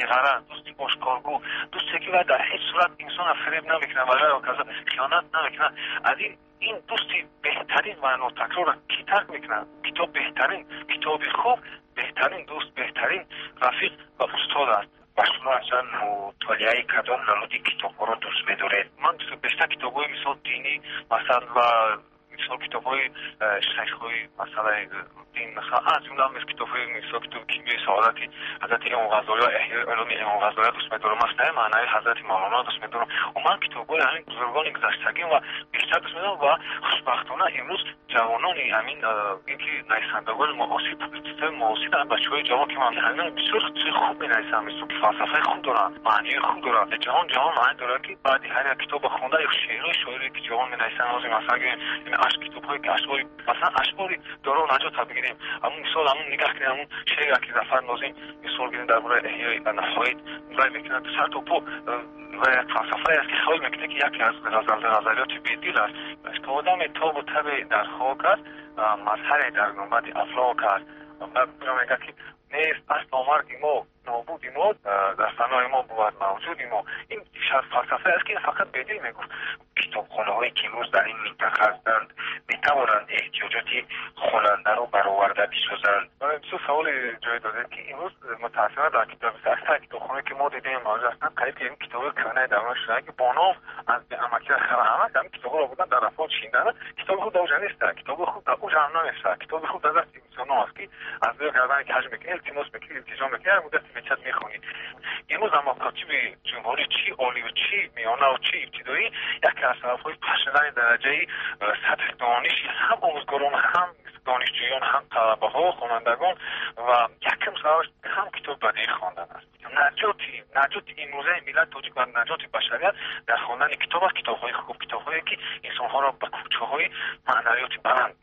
Беғараз, дӯсти ошкоргӯ, дӯсте ки дар ҳеҷ сурат инсонро фиреб намекунад ва ғайра каза хиёнат намекунад. Аз ин дӯсти беҳтарин ва нотакрорро кӣ тарк мекунад? Китоб беҳтарин, китоби хуб беҳтарин дӯст, беҳтарин рафиқ ва устод аст. Ба шумо аслан мутолиаи кадом намуди китобҳоро дӯст медоред? Ман бештар китобҳои мисол динӣ, масалан, ва мисол китобҳои шайхҳои масалаи дин, масалан, аз ҷумла китобҳои мисол китоби кимиёи саодати ҳазрати Имом Ғаззолӣ ва Эҳёи улуми Имом Ғаззолиро дӯст медорам, масъалаи маънавии ҳазрати Мавлоно дӯст медорам. Умуман китобҳои ҳамин бузургони гузаштагӣ ва бештар дӯст медорам ва хушбахтона имрӯз ҷавонони ҳамин ин ки нависандагони муосир, публитсистҳои муосир, бачаҳои ҷавон ки ман ҳамин бисёр чизи хуб менависанд, мисол фалсафаи хуб доранд, маънии хуб доранд. Ҷаҳон маъни дорад ки баъди ҳар як китобро хонда ё шеърҳои шоире ки ҷавон менависанд, ҳозир масалан гирем, ин китобҳое ки ашъори, масалан ашъори доро наҷотро бигирем, ҳамун мисол ҳамун нигаҳ кунем, ҳамун шеъре ки Зафар Нозим мисол гирем дар бораи эҳёи наҳоид вай мекунад сар то по ва як фалсафае аст ки хаёл мекунад ки яке аз ғазалиёти бедил аст. То одаме тобу табе дар хок аст, мазҳаре дар гунбади афлок аст. Баъд мегӯяд ки нест асло марги мо, нобуди мо, дар фанои мо бувад мавҷуди мо. Ин фалсафае аст ки фақат бедил мегуфт. Китобхонаҳое ки имрӯз дар ин минтақа ҳастанд метавонанд эҳтиёҷоти хонандаро бароварда бисозанд? Бисёр саволи ҷой додед ки имрӯз мутаассифона дар аксар китобхонае ки мо дидем мавҷуд ҳастанд, қариб ки ин китобҳои кӯҳнаи давра шудаанд ки бо ном аз амакиро хара ҳама ҳамин китобҳоро бурдан дар рафҳо чиндан. Китоби хуб дар уҷа нест, китоби хуб дар уҷа ҳам намешавад. Китоби хуб дар дасти инсонҳо аст ки аз рӯи гардани каҷ мекунӣ, илтимос мекунӣ, илтиҷо мекунӣ, ҳар муддате мечад мехонӣ. Имрӯз дар макотиби ҷумҳурӣ чӣ олию чӣ миёнаву чӣ ибтидоӣ яке аз сабабҳои паст шудани дараҷаи сатҳи дониши ҳам омӯзгорон, ҳам донишҷӯён, ҳам талабаҳо, хонандагон ва якум сабабаш ҳам китоби бадеӣ хондан аст. Наҷоти имрӯзаи миллат тоҷик ва наҷоти башарият дар хондани китоб аст, китобҳои хуб, китобҳое ки инсонҳоро ба кӯчаҳои маънавиёти баланд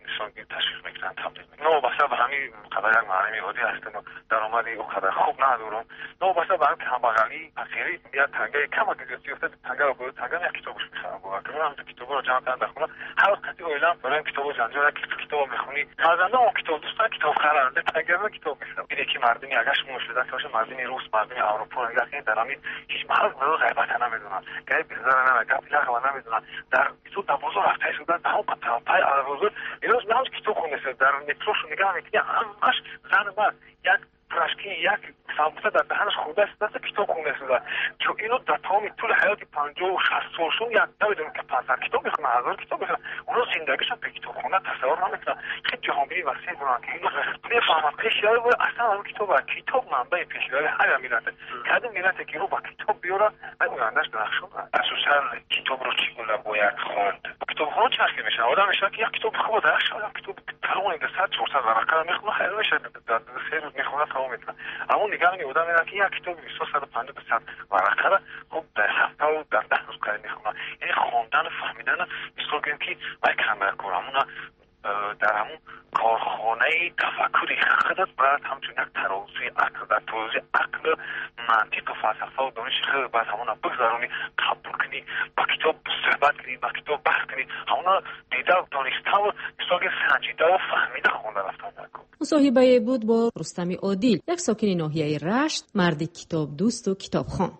ташвиқ мекунанд, табдил мекунанд. Новобаста ба ҳамин қадар як муаллими оддӣ ҳастем ва даромади ӯ қадар хуб надорам, новобаста ба ҳамин камбағалӣ, фақирӣ, як тангаи камак ёфта, тангаро бо танга як китобаш мехарам. Бовар кунед, ҳамин китобҳоро ҷамъ кардам дар хона. Ҳар вақт қати оилам барои китобҳо ҷанҷол, як китобро мехонӣ, фарзандон он китоб дӯстанд, китоб харанд, тангаро китоб мехарам. Ине ки мардуми агар шумо мушоҳида карда бошед, мардуми рус, мардуми Аврупо нигоҳ кунед, дар ҳамин ҳеҷ маҳал ғайбата намедонанд, гапи безара намедонанд, гапи лағва намедонанд. Дар мисол дар бозор рафта истодан, дар ҳамон пай бозор, имрӯз ман китоб хондаистам, дар метрошу нигоҳ мекунӣ, ҳамаш зан мард як пирожки, як самбуса дар даҳанаш хӯрда истодаст, китоб хонда истодааст. Чун ино дар тамоми тӯли ҳаёти 50-60 солшон як намедонам ки 500 китоб мехонанд, 1000 китоб мехонанд. Оно зиндагишон бе китобхона тасаввур намекунанд. Хеле ҷаҳонбинӣ васеъ доранд ки ино мефаҳманд пешравӣ бояд аслан ҳамон китоб аст. Китоб манбаи пешравии ҳар як миллат аст. Кадом миллате ки рӯ ба китоб биёрад, вай ояндаш дурахшон аст. Асосан китобро чӣ гуна бояд хонд? Китобхона чӣ ҳарфе мешавад? Одам мешавад ки як китоби хуб дар як шаб, як китоби калоне дар сад, чорсад варақаро мехонад, хайр мешавад, дар 3 рӯз мехонад, тамом мекунад. Аммо нигаҳ одам меравад ки як китоби бисёр саду панҷоҳ ба сад варақаро хуб дар ҳафтаву дар 10 рӯз қариб мехонад. Яъне хондану фаҳмидану мисол гӯем ки вай камбаркор, ҳамуна дар ҳамун корхонаи тафаккури худат бояд ҳамчун як тарозуи ақл, дар тарозуи ақл, мантиқу фалсафаву дониши худ бояд ҳамона бигзаронӣ, қабул кунӣ, ба китоб суҳбат кунӣ, ба китоб баҳс кунӣ, ҳамона дида, дониставу мисол гӯем санҷидаву фаҳмида хонда рафтан дар кор. Мусоҳибае буд бо Рустами Одил, як сокини ноҳияи Рашт, марди китобдӯсту китобхон.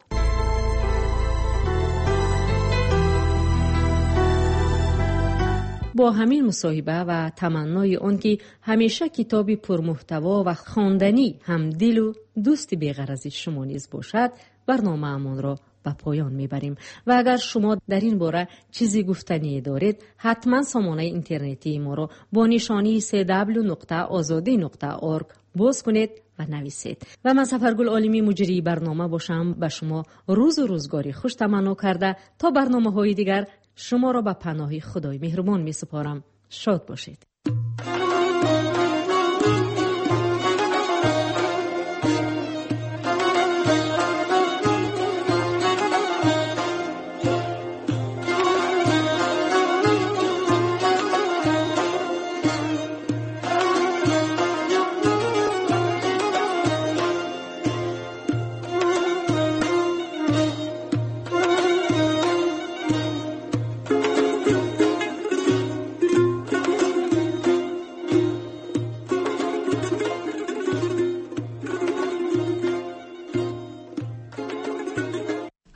Бо ҳамин мусоҳиба ва таманнои он ки ҳамеша китоби пурмуҳтаво ва хонданӣ ҳамдилу дӯсти беғарази шумо низ бошад, барномаамонро ба поён мебарем. Ва агар шумо дар ин бора чизе гуфтание доред, ҳатман сомонаи интернетии моро бо нишонии се дабл ю нуқта озодӣ нуқта орг боз кунед ва нависед. Ва ман Сафаргул Олимӣ, муҷрии барнома бошам, ба шумо рӯзу рӯзгори хуш таманно карда то барномаҳои дигар шуморо ба паноҳи Худои меҳрубон месупорам. Шод бошед.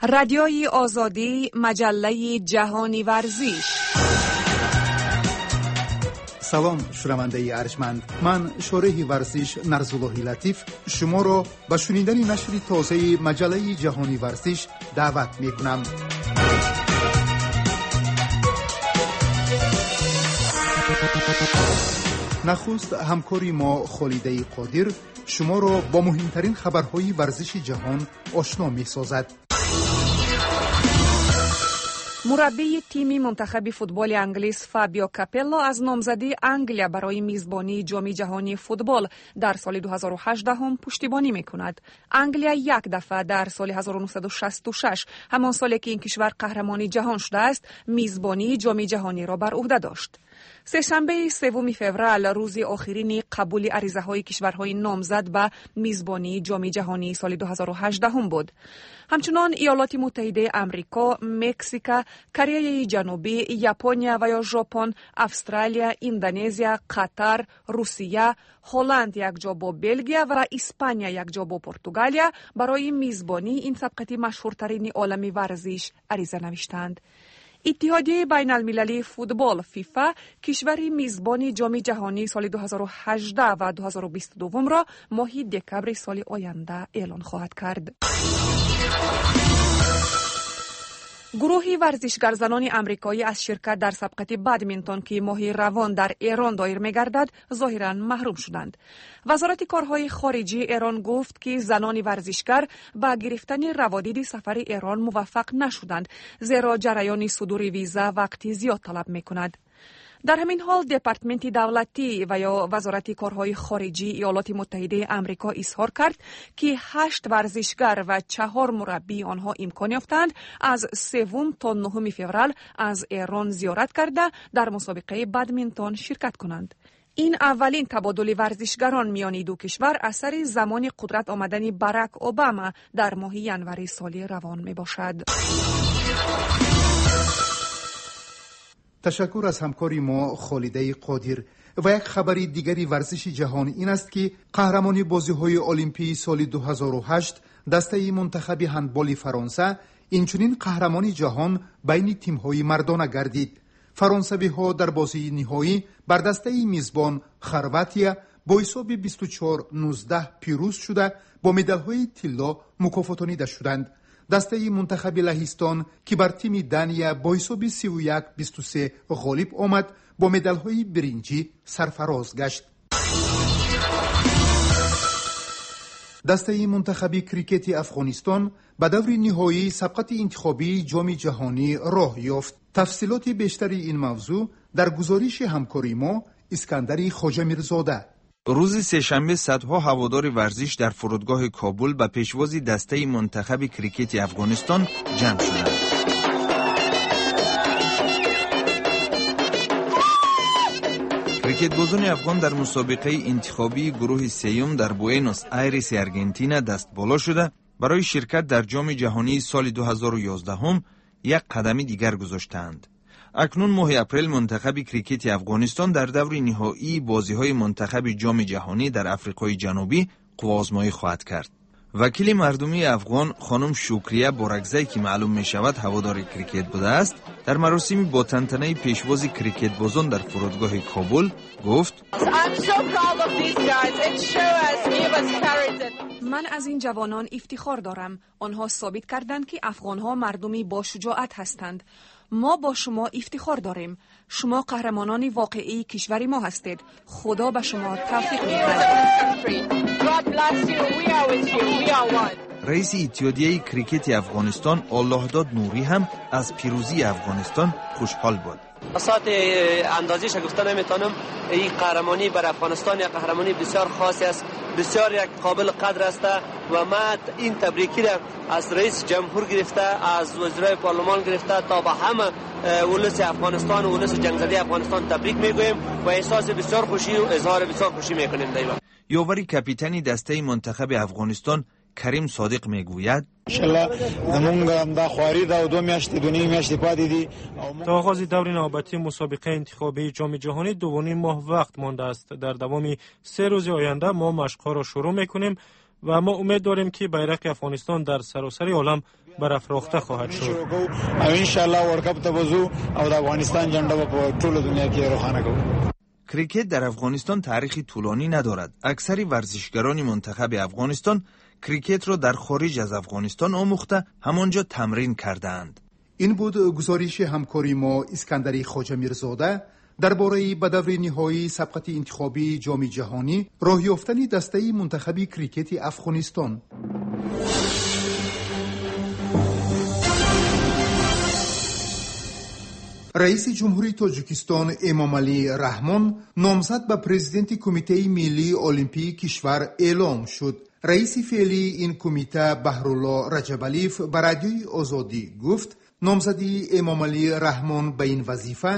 Радиои Озодӣ, маҷаллаи ҷаҳони варзиш. Салом, шунавандаи арҷманд. Ман, шореҳи варзиш Нарзуллоҳи Латиф, шуморо ба шунидани нашри тозаи маҷаллаи ҷаҳони варзиш даъват мекунам. Нахуст ҳамкори мо Холидаи Қодир шуморо бо муҳимтарин хабарҳои варзиши ҷаҳон ошно месозад. Мураббии тими мунтахаби футболи англис Фабио Капелло аз номзадии Англия барои мизбонии Ҷоми ҷаҳонии футбол дар соли 2018 пуштибонӣ мекунад. Англия як дафъа дар соли 1966, ҳамон соле ки ин кишвар қаҳрамони ҷаҳон шудааст, мизбонии Ҷоми ҷаҳониро бар ӯҳда дошт. Сешанбеи 3 феврал рӯзи охирини қабули аризаҳои кишварҳои номзад ба мизбонии Ҷоми ҷаҳонии соли 2018 буд. Ҳамчунон Иёлоти Муттаҳидаи Амрико, Мексика, Кореяи Ҷанубӣ, Япония ва ё Жопон, Австралия, Индонезия, Қатар, Русия, Ҳолланд якҷо бо Белгия ва Испания якҷо бо Португалия барои мизбонии ин сабқати машҳуртарини олами варзиш ариза навиштанд. Иттиҳодияи байналмилалии футбол ФИФА кишвари мизбони Ҷоми ҷаҳонии соли 2018 ва 2022-ро моҳи декабри соли оянда эълон хоҳад кард. Гурӯҳи варзишгарзанони амрикоӣ аз ширкат дар сабқати бадминтон, ки моҳи равон дар Эрон доир мегардад, зоҳиран маҳрум шуданд. Вазорати корҳои хориҷии Эрон гуфт, ки занони варзишгар ба гирифтани раводиди сафари Эрон муваффақ нашуданд, зеро ҷараёни судури виза вақти зиёд талаб мекунад. Дар ҳамин ҳол Департаменти давлатӣ ва ё Вазорати корҳои хориҷии Иёлоти Муттаҳидаи Амрико изҳор кард, ки 8 варзишгар ва 4 мураббии онҳо имкон ёфтанд аз 3 то 9 феврал аз Эрон зиёрат карда дар мусобиқаи бадминтон ширкат кунанд. Ин аввалин табодули варзишгарон миёни ду кишвар аз сари замони қудрат омадани Барак Обама дар моҳи январи соли равон мебошад. Ташаккур аз ҳамкори мо Холидаи Қодир. Ва як хабари дигари варзиши ҷаҳон ин аст, ки қаҳрамони бозиҳои Олимпии соли 2008, дастаи мунтахаби ҳандболи Фаронса, инчунин қаҳрамони ҷаҳон байни тимҳои мардона гардид. Фаронсавиҳо дар бозии ниҳоӣ бар дастаи мизбон Хорватия бо ҳисоби 24-19 пирӯз шуда, бо медалҳои тилло мукофотонида шуданд. Дастаи мунтахаби Лаҳистон, ки бар тими Дания бо ҳисоби 31-23 ғолиб омад, бо медалҳои биринҷӣ сарфароз гашт. Дастаи мунтахаби крикети Афғонистон ба даври ниҳоии сабқати интихобии Ҷоми ҷаҳонӣ роҳ ёфт. Тафсилоти бештари ин мавзӯъ дар гузориши ҳамкори мо Искандари Хоҷамирзода. Рӯзи сешанбе садҳо ҳаводори варзиш дар фурудгоҳи Кобул ба пешвози дастаи мунтахаби крикети Афғонистон ҷамъ шуданд. Крикетбозони афғон дар мусобиқаи интихобии гурӯҳи сеюм дар Буэнос Айреси Аргентина дастболо шуда, барои ширкат дар Ҷоми ҷаҳонии соли 2011 як қадами дигар гузоштаанд. Акнун моҳи апрел мунтахаби крикети Афғонистон дар даври ниҳоии бозиҳои мунтахаби Ҷоми ҷаҳонӣ дар Африқои Ҷанубӣ қувваозмоӣ хоҳад кард. Вакили мардумии афғон хонум Шукрия Боракзай, ки маълум мешавад ҳаводори крикет будааст, дар маросими бо тантанаи пешвози крикетбозон дар фурудгоҳи Кобул гуфт: Ман аз ин ҷавонон ифтихор дорам. Онҳо собит карданд, ки афғонҳо мардуми бошуҷоат ҳастанд. Мо бо шумо ифтихор дорем. Шумо қаҳрамонони воқеии кишвари мо ҳастед. Худо ба шумо тавфиқ медиҳад. Раиси Иттиҳодияи крикети Афғонистон Оллоҳдод Нурӣ ҳам аз пирӯзии Афғонистон хушҳол буд. ساعت اندازیش گفته نمیتونم. این قهرمانی بر افغانستان یک قهرمانی بسیار خاصی است، بسیار یک قابل قدر است و ما این تبریکی را از رئیس جمهور گرفته، از وزرای پارلمان گرفته تا به همه ولس افغانستان و ولس جنگزده افغانستان تبریک میگوییم و احساس بسیار خوشی و اظهار بسیار خوشی میکنیم. دیوان ёвари капитани дастаи мунтахаби Афғонистон Карим Содиқ мегӯяд: То оғози даври навбатии мусобиқаи интихобии Ҷоми ҷаҳонӣ 2,5 моҳ вақт мондааст. Дар давоми 3 рӯзи оянда мо машқҳоро шурӯъ мекунем Ва мо умед дорем, ки байрақи Афғонистон дар саросари олам барафрохта хоҳад шуд. او ان شاء الله ورلډ کپ ته به ځو او د افغانستان جنډه به په ټوله دنیا کې روښانه کوو. Крикет дар Афғонистон таърихи тӯлонӣ надорад. Аксари варзишгарони мунтахаби Афғонистон крикетро дар хориҷ аз Афғонистон омӯхта, ҳамон ҷо тамрин кардаанд. Ин буд гузориши ҳамкори мо Искандари Хоҷамирзода дар бораи ба даври ниҳоии сабқати интихобии Ҷоми ҷаҳонӣ роҳ ёфтани дастаи мунтахаби крикети Афғонистон. Раиси Ҷумҳурии Тоҷикистон Эмомалӣ Раҳмон номзад ба президенти Кумитаи миллии олимпии кишвар эълом шуд. Раиси феълии ин кумита Баҳрулло Раҷабалиев ба Радиои Озодӣ гуфт, номзадии Эмомалӣ Раҳмон ба ин вазифа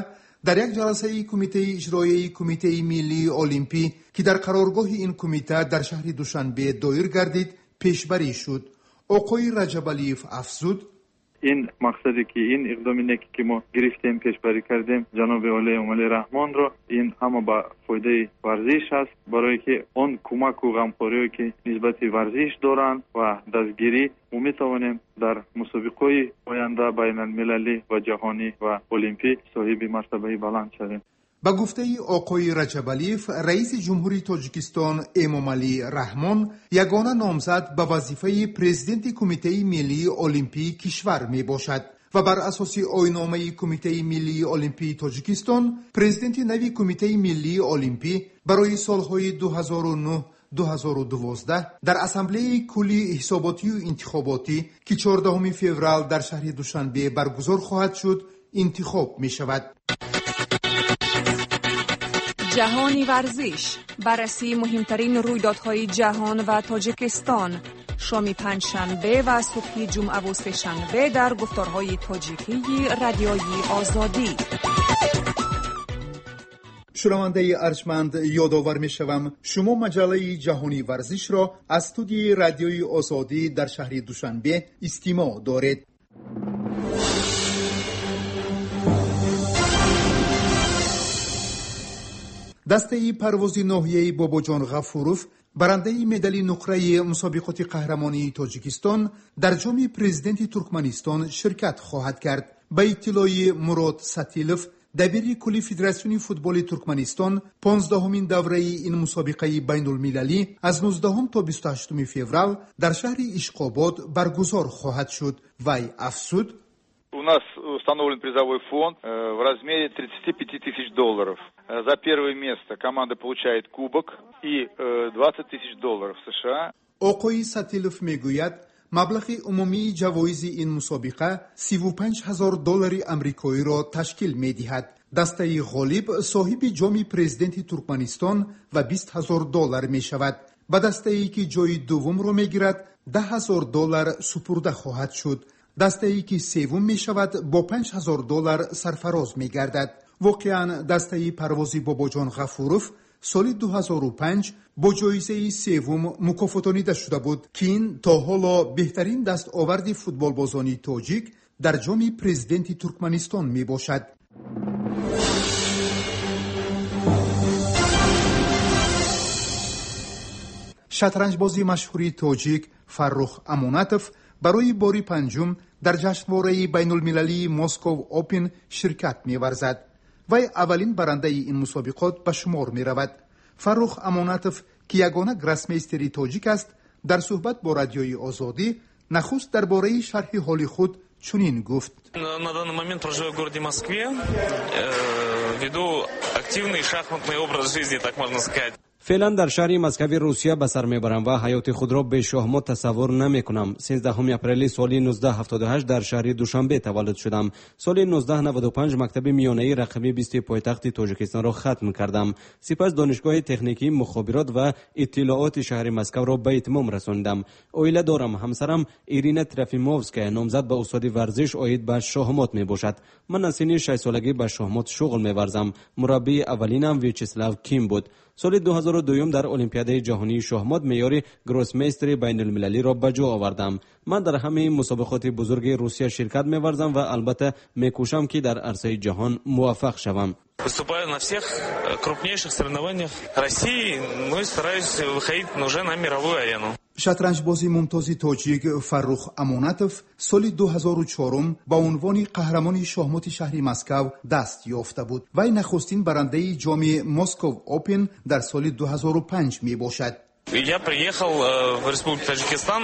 дар як ҷаласаи кумитаи иҷроияи Кумитаи миллии олимпӣ, ки дар қароргоҳи ин кумита дар шаҳри Душанбе доир гардид, пешбарӣ шуд. Оқои Раҷабалиев афзуд: Ин мақсаде ки ин иқдоми неке ки мо гирифтем, пешбарӣ кардем ҷаноби олии Эмомалӣ Раҳмонро, ин ҳама ба фоидаи варзиш аст, барое ки он кӯмаку ғамхориҳое ки нисбати варзиш доранд ва дастгирӣ, мо метавонем дар мусобиқаҳои оянда байналмилалӣ ва ҷаҳонӣ ва олимпӣ соҳиби мартабаи баланд шавем. Ба гуфтаи оқои Раҷабалиев, раиси Ҷумҳурии Тоҷикистон Эмомалӣ Раҳмон ягона номзад ба вазифаи президенти Кумитаи миллии олимпии кишвар мебошад ва бар асоси оинномаи Кумитаи миллии олимпии Тоҷикистон президенти нави Кумитаи миллии олимпӣ барои солҳои 2009 2012 дар Ассамблеяи кулли ҳисоботию интихоботӣ, ки 14 феврал дар шаҳри Душанбе баргузор хоҳад шуд, интихоб мешавад. Ҷаҳони варзиш, баррасии муҳимтарин рӯйдодҳои ҷаҳон ва Тоҷикистон, шоми панҷшанбе ва субҳи ҷумъаву сешанбе дар гуфторҳои тоҷикии Радиои Озодӣ. Шунавандаи арҷманд, ёдовар мешавам, шумо маҷаллаи ҷаҳонии варзишро аз студияи Радиои Озодӣ дар шаҳри Душанбе истимоъ доред. Дастаи парвози ноҳияи Бобоҷон Ғафуров, барандаи медали нуқраи мусобиқоти қаҳрамонии Тоҷикистон, дар Ҷоми Президенти Туркманистон ширкат хоҳад кард. Ба иттилои Мурод Сатилов, дабири кулли Федератсиони футболи Туркманистон, 15-умин давраи ин мусобиқаи байнулмилалӣ аз 19 то 28 феврал дар шаҳри Ишқобод баргузор хоҳад шуд. Вай афзуд: У нас установлен призовой фонд в размере 35 тысяч долларов. За первое место команда получает кубок и 20 тысяч долларов США. Оқои Сатилов мегӯяд, маблағи умумии ҷавоизи ин мусобиқа 35 ҳазор доллари амрикоиро ташкил медиҳад. Дастаи ғолиб соҳиби Ҷоми Президенти Туркманистон ва 20 ҳазор доллар мешавад. Ба дастае ки ҷои дуввумро мегирад, 10 ҳазор доллар супурда хоҳад шуд. Дастае ки севум мешавад, бо 5 ҳазор доллар сарфароз мегардад. Воқеан, дастаи парвози Бобоҷон Ғафуров соли 2005 бо ҷоизаи севум мукофотонида шуда буд, ки ин то ҳоло беҳтарин дастоварди футболбозони тоҷик дар Ҷоми Президенти Туркманистон мебошад. Шатранҷбози машҳури тоҷик Фаррух Амонатов барои бори панҷум дар ҷашнвораи байнулмилалии Москов Опен ширкат меварзад. Вай аввалин барандаи ин мусобиқот ба шумор меравад. Фаррух Амонатов, ки ягона гроссмейстери тоҷик аст, дар суҳбат бо Радиои Озодӣ нахуст дар бораи шарҳи ҳоли худ чунин гуфт: На данный момент проживаю в городе Москве, веду активный шахматный образ жизни, так можно сказать. Феълан дар шаҳри Москави Русия ба сар мебарам ва ҳаёти худро бе шоҳмот тасаввур намекунам. 13 апрели соли 1978 дар шаҳри Душанбе таваллуд шудам. Соли 1995 мактаби миёнаи рақами 20 пойтахти Тоҷикистонро хатм кардам. Сипас Донишгоҳи техникии мухобирот ва иттилооти шаҳри Москавро ба итмом расонидам. Оила дорам. Ҳамсарам Ирина Трофимовская номзад ба устоди варзиш оид ба шоҳмот мебошад. Ман аз синни 6-солагӣ ба шоҳмот шуғл меварзам. Мураббии аввалинам Вячеслав Ким буд. Соли 2002 дар Олимпиадаи ҷаҳонии шоҳмот меъёри гроссмейстери байнулмилалиро ба ҷо овардам. Ман дар ҳамаи мусобиқоти бузурги Русия ширкат меварзам ва албатта мекӯшам, ки дар арсаи ҷаҳон муваффақ шавам. Выступаю на всех крупнейших соревнованиях России, ну и стараюсь выходить уже на мировую арену. Шатранҷбози мумтози тоҷик Фаррух Амонатов соли 2004 ба унвони қаҳрамони шоҳмоти шаҳри Москав даст ёфта буд. Вай нахустин барандаи ҷоми Москов Опен дар соли 2005 мебошад. Я приехал в Республику Таджикистан,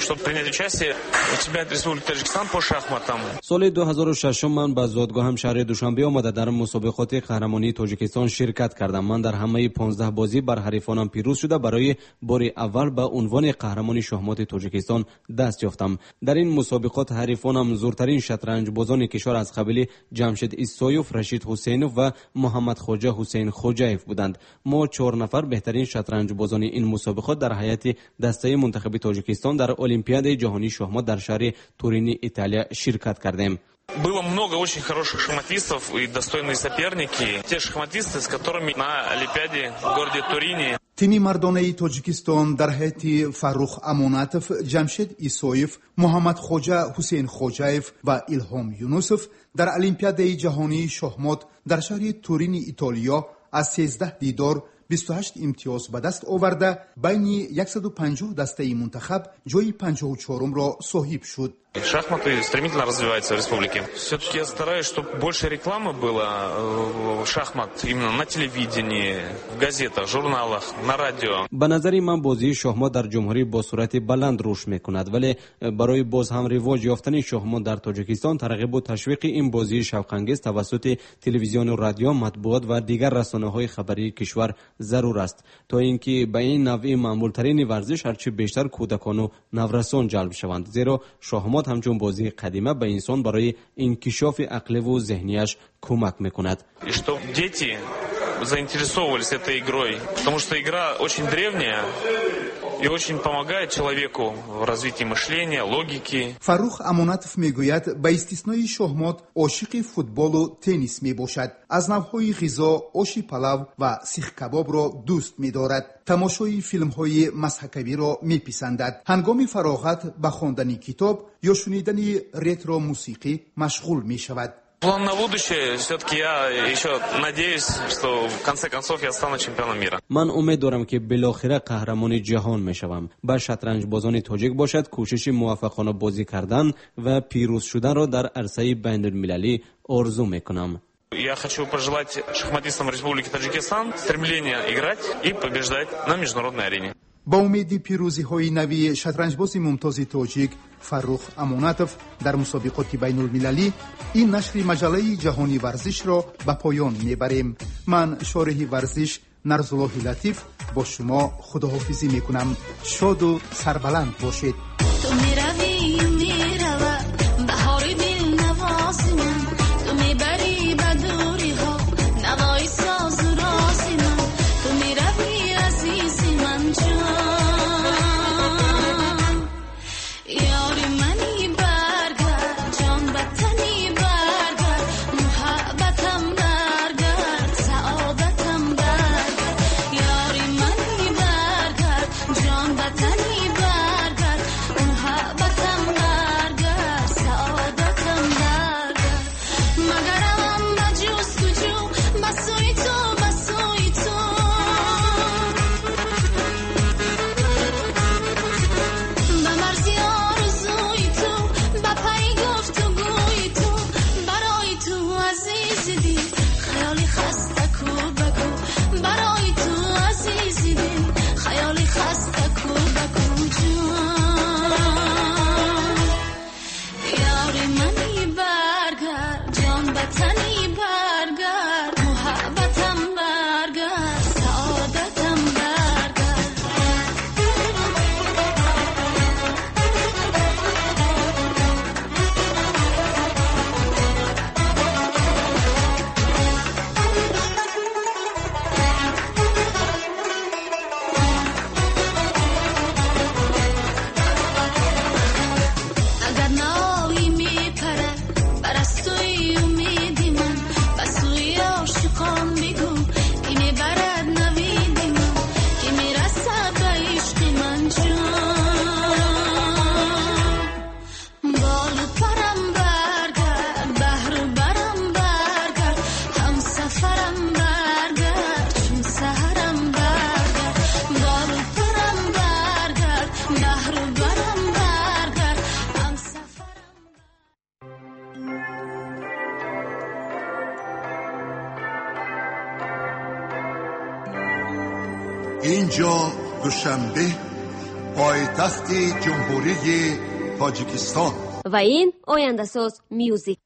чтобы принять участие в чемпионате Республики Таджикистан по шахматам. Соли 2006 ман ба зодгоҳам шаҳри Душанбе омада, дар мусобиқоти қаҳрамонии Тоҷикистон ширкат кардам. Ман дар ҳамаи 15 бозӣ бар ҳарифонам пирӯз шуда, барои бори аввал ба унвони қаҳрамони шоҳмоти Тоҷикистон даст ёфтам. Дар ин мусобиқот ҳарифонам зуртарин шатранҷбозони кишвар аз қабили Ҷамшед Исоев, Рашид Ҳусейнов ва Муҳаммадхоҷа Ҳусейн Хоҷаев буданд. Мо чор нафар беҳтарин шатранҷбозони ин мусобиқот дар ҳайати дастаи мунтахаби Тоҷикистон дар Олимпиадаи ҷаҳонии шоҳмот дар шаҳри Турини Италия ширкат кардем. Было много очень хороших шахматистов и достойные соперники. Те шахматисты, с которыми на Олимпиаде в городе Турине. Тими мардонаи Тоҷикистон дар ҳайати Фаррух Амонатов, Ҷамшед Исоев, Муҳаммадхоҷа Ҳусейн Хоҷаев ва Илҳом Юнусов дар Олимпиадаи ҷаҳонии шоҳмот дар шаҳри Турини Итолиё аз 13 дидор 28 имтиёз ба даст оварда, байни 150 дастаи мунтахаб ҷои 54-умро соҳиб шуд. Шахматы стремительно развиваются в республике. Все-таки я стараюсь, чтобы больше рекламы было шахмат именно на телевидении, в газетах, журналах, на радио. Ба назари ман, бозии шоҳмот дар ҷумҳурӣ бо суръати баланд рушд мекунад, вале барои боз ҳам ривоҷ ёфтани шоҳмот дар Тоҷикистон тарғибу ташвиқи ин бозии шавқангез тавассути телевизиону радио, матбуот ва дигар расонаҳои хабарии кишвар зарур аст, то ин ки ба ин навъи маъмултарини варзиш ҳарчи бештар кӯдакону наврасон ҷалб шаванд, зеро шоҳмот ҳамчун бозии қадима ба инсон барои инкишофи ақливу зеҳнияш кӯмак мекунад. И чтоб дети заинтересовывались этой игрой, потому что игра очень древняя и очень помогает человеку в развитии мышления, логики. Фаррух Амонатов мегӯяд, ба истиснои шоҳмот ошиқи футболу теннис мебошад. Аз навъҳои ғизо оши палав ва сихкабобро дӯст медорад. Тамошои филмҳои мазҳакавиро меписандад. Ҳангоми фароғат ба хондани китоб ё шунидани ретро мусиқӣ машғул мешавад. План на будущее, все-таки я еще надеюсь, что в конце концов я стану чемпионом мира. Ман умед дорам, ки билохира қаҳрамони ҷаҳон мешавам. Ба шатранҷбозони тоҷик бошад, кӯшиши муваффақона бозӣ кардан ва пирӯз шуданро дар арсаи байнулмилалӣ орзу мекунам. Я хочу пожелать шахматистам Республики Таджикистан стремления играть и побеждать на международной арене. Ба умеди пирӯзиҳои нави шатранҷбози мумтози тоҷик Фаррух Амонатов дар мусобиқоти байнулмилалӣ ин нашри маҷаллаи ҷаҳони варзишро ба поён мебарем. Ман, шореҳи варзиш Нарзуллоҳи Латиф, бо шумо худоҳофизӣ мекунам. Шоду сарбаланд бошед. Ту меравӣ, меравад баҳори дилнавози ман, ту мебарӣ ба дуриҳо навои созу рози ман, ту меравӣ, азизи ман ҷон, ёри мани, баргард, ҷон ба тани баргард, муҳаббатам баргард, саодатам баргард, ёри мани, баргард, ҷон ба тани баргард. Инҷо Душанбе, пойтахти Ҷумҳурии Тоҷикистон. Ва ин Ояндасоз Мюзик.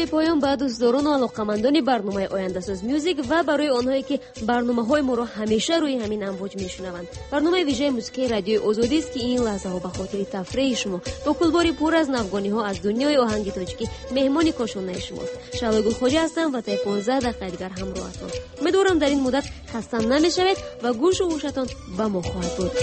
Бепоён ба дӯстдорону алоқамандони барномаи Ояндасоз Мюзик ва барои онҳое ки барномаҳои моро ҳамеша рӯи ҳамин амвоҷ мешунаванд. Барномаи вижаи мусиқии радиои Озодист, ки ин лаҳзаҳо ба хотири тафреҳи шумо бо кулбори пур аз навгониҳо аз дунёи оҳанги тоҷикӣ меҳмони кошонаи шумост. Шаҳлои Гулхоҷа ҳастам ва таи 15 дақиқаи дигар ҳамроҳатон. Умедворам, дар ин муддат хаста намешавед ва гӯшу гӯшатон ба мо хоҳад буд.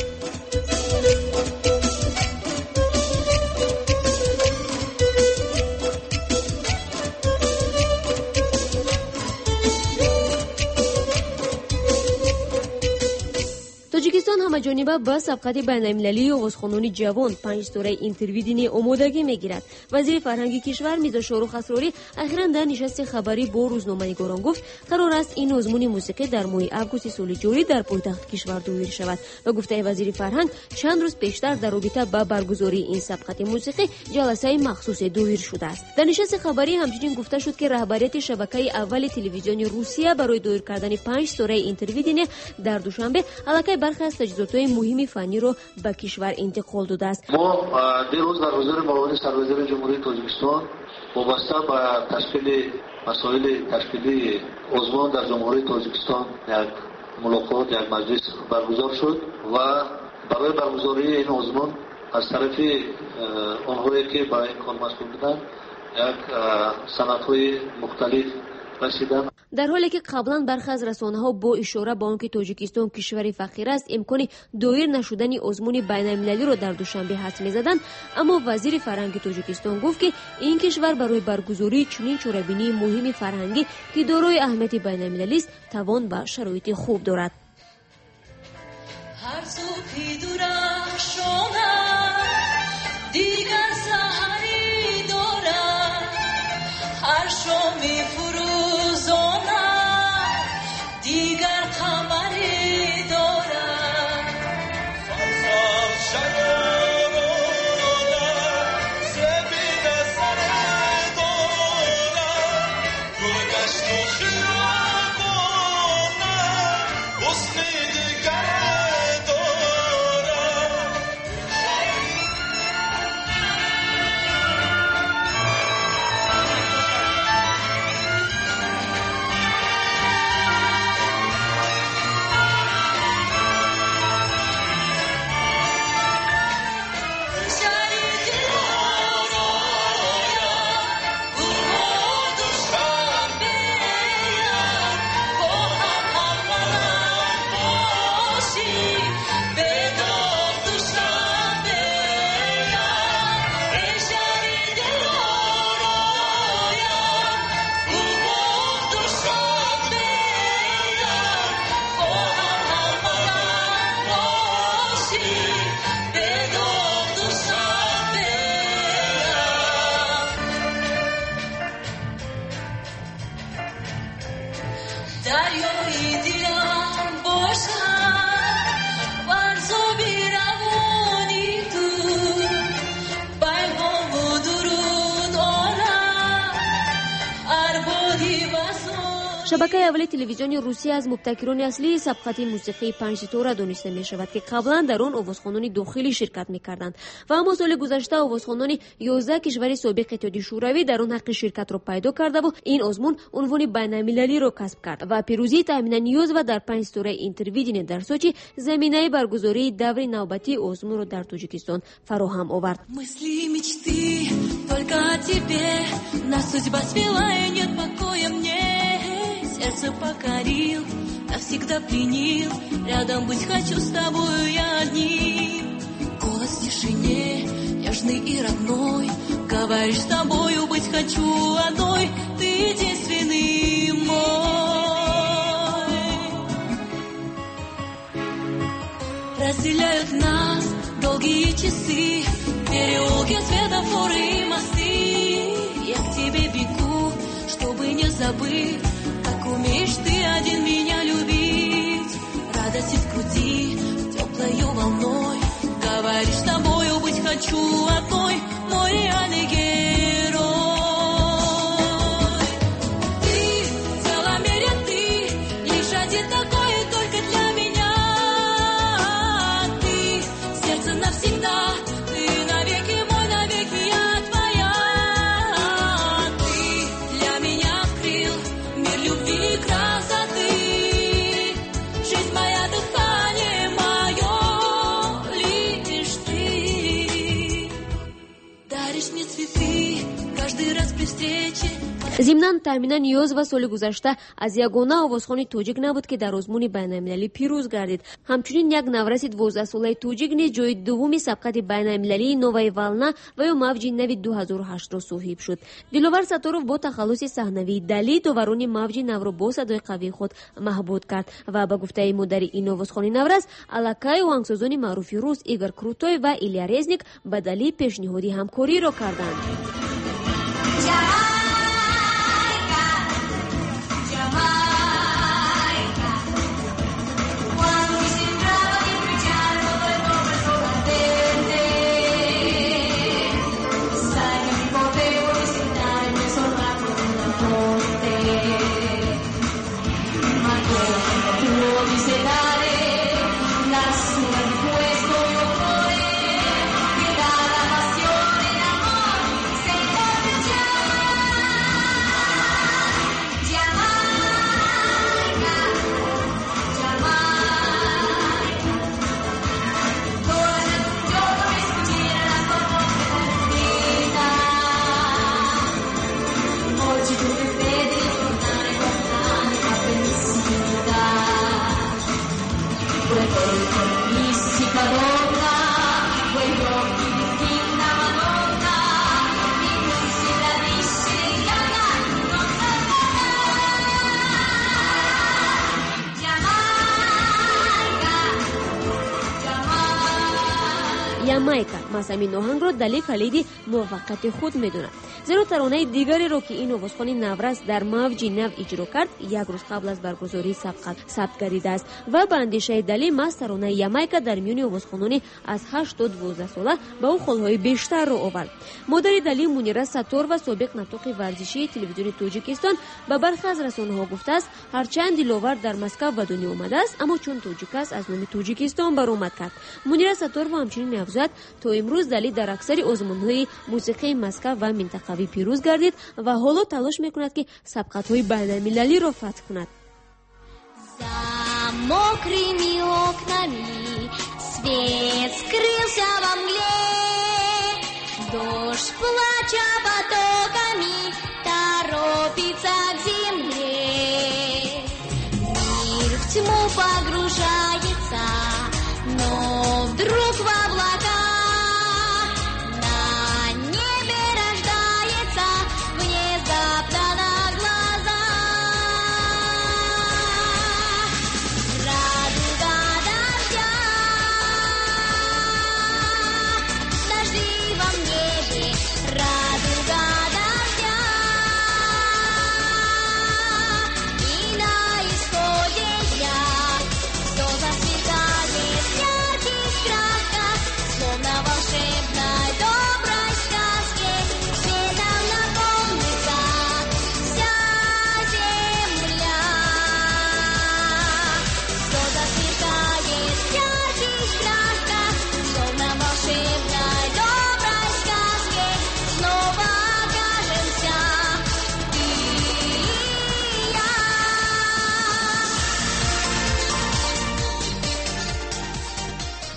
Тоҷикистон ҳамаҷониба ба сабқати байналмилалии овозхонони ҷавон 5 ситораи Интервидение омодагӣ мегирад. Вазири фарҳанги кишвар Мирзо Шоҳрух Асрорӣ ахиран дар нишасти хабарӣ бо рӯзноманигорон гуфт, қарор аст ин озмуни мусиқӣ дар моҳи августи соли ҷорӣ дар пойтахти кишвар доир шавад. Ба гуфтаи вазири фарҳанг, чанд рӯз пештар дар робита ба баргузории ин сабқати мусиқӣ ҷаласаи махсусе доир шудааст. Дар нишасти хабарӣ ҳамчунин гуфта шуд, ки раҳбарияти шабакаи аввали телевизиони Русия барои доир кардани 5 ситораи Интервидение дар Душанбе аллакай бархе аз таҷҳизотҳои муҳими фанниро ба кишвар интиқол додааст. Мо дирӯз дар ҳузури муовини сарвазири Ҷумҳурии Тоҷикистон вобаста ба ташкили масоили ташкилии озмун дар Ҷумҳурии Тоҷикистон як мулоқот, як маҷлис баргузор шуд ва барои баргузории ин озмун аз тарафи онҳое ки ба ин кор масъул буданд як санадҳои мухталиф расиданд. Дар ҳоле ки қаблан бархе аз расонаҳо бо ишора ба он ки Тоҷикистон кишвари фақир аст, имкони доир нашудани озмуни байналмилалиро дар Душанбе ҳадс мезаданд, аммо вазири фарҳанги Тоҷикистон гуфт, ки ин кишвар барои баргузории чунин чорабинии муҳими фарҳангӣ, ки дорои аҳамияти байналмилалист, тавон ва шароити хуб дорад. Ҳар субҳи дурахшонад дигар саҳарӣ дорад, ҳар шоми фурӯзонад дигар қамарӣ дорад. Дарёи дилам бошад варзоби равони ту, пайғому дуруд орад арбоди васон. Шабакаи аввали телевизиони Русия аз мубтакирони аслии сабқати мусиқии 5 ситора дониста мешавад, ки қаблан дар он овозхонони дохилӣ ширкат мекарданд. Ва аммо соли гузашта овозхонони 11 кишвари собиқ Иттиҳоди Шӯравӣ дар он ҳаққи ширкатро пайдо кардаву ин озмун унвони байналмилалиро касб кард ва пирӯзии Таҳмина Ниёзова дар 5 ситораи Интервидение дар Сочи заминаи баргузории даври навбатии озмунро дар Тоҷикистон фароҳам овард. Мысли и мечты только о тебе, нас судьба свела и нет покоя мне. Сердце покорил, навсегда пленил, рядом быть хочу с тобою я одним. Голос в тишине, нежный и родной, говоришь, с тобою быть хочу одной, ты единственный мой. Разделяют нас долгие часы, переулки, светофоры и мосты. Я к тебе бегу, чтобы не забыть, как умеешь ты один меня любить. Радости в груди теплою волной. Говоришь, с тобою быть хочу одной, мой реальный герой. Ты в целом мире, ты лишь один такой, только для меня. Ты сердце навсегда, ты навеки мой, навеки я твоя. Ты для меня открыл мир любви и красоты. Жизнь моя, дыхание мое, лишь ты. Даришь мне цветы каждый раз при встрече. Зимнан, Таҳмина Ниёзова соли гузашта аз ягона овозхони тоҷик набуд, ки дар озмуни байналмилалӣ пирӯз гардид. Ҳамчунин як навраси 12-солаи тоҷик низ ҷои дуввуми сабқати байналмилалии «Новая волна» ва ё мавҷи нави 2008-ро соҳиб шуд. Диловар Сатторов бо тахаллуси саҳнавии Дали доварони мавҷи навро бо садои қавии худ маҳбуд кард ва ба гуфтаи модари ин овозхони наврас, аллакай оҳангсозони маъруфи рус Игор Крутой ва Илья Резник ба Дали пешниҳоди ҳамкориро карданд. Ямайка маҳз ҳамин оҳангро Дали калиди муваффақияти худ медонад, зеро таронаи дигареро, ки ин овозхони наврас дар мавҷи нав иҷро кард, як рӯз қабл аз баргузории сабқат сабт гардидааст. Ва ба андешаи Дали, маҳз таронаи Ямайка дар миёни овозхонони аз 8 то 12 сола ба ӯ холҳои бештарро овард. Модари Дали, Мунира Сатторова, собиқ нотиқи варзишии телевизиони Тоҷикистон, ба бархе аз расонаҳо гуфтааст, ҳарчанд Диловар дар Москав ба дунё омадааст, аммо чун тоҷик аст, аз номи Тоҷикистон баромад кард. Мунира Сатторова ҳамчунин меафзояд, то имрӯз Дали дар аксари озмунҳои мусиқии Москав ва минтақавӣ пирӯз гардид ва ҳоло талош мекунад, ки сабқатҳои байналмилалиро фатҳ кунад. За мокрыми окнами свет скрылся во мгле. Дождь, плача потоками, торопится к земле. Мир в тьму погружается, но вдруг в облаках на небе рождается внезапно на глазах радуга дождя. В дождливом небе радуга дождя. И на исходе дня все засветает в ярких красках, словно в волшебной доброй сказке. Светом наполнится вся земля. Все засверкает в ярких красках, словно в волшебной доброй сказке. Снова окажемся ты и я.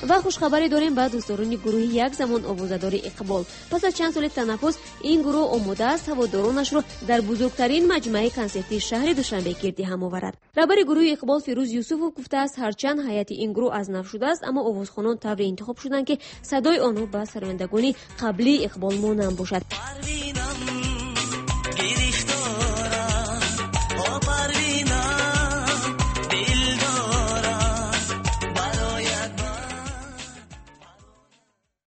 Ва хушхабарӣ дорем ба дӯстдорони гурӯҳи як замон овозадори Иқбол. Пас аз чанд соли танаффус ин гурӯҳ омода аст ҳаводоронашро дар бузургтарин маҷмӯаи консертии шаҳри Душанбе гирди ҳам оварад. Раҳбари гурӯҳи Иқбол Фирӯз Юсуфов гуфтааст, ҳарчанд ҳайати ин гурӯҳ аз нав шудааст, аммо овозхонон тавре интихоб шуданд, ки садои онҳо ба сарояндагони қаблии Иқбол монанд бошад. Порви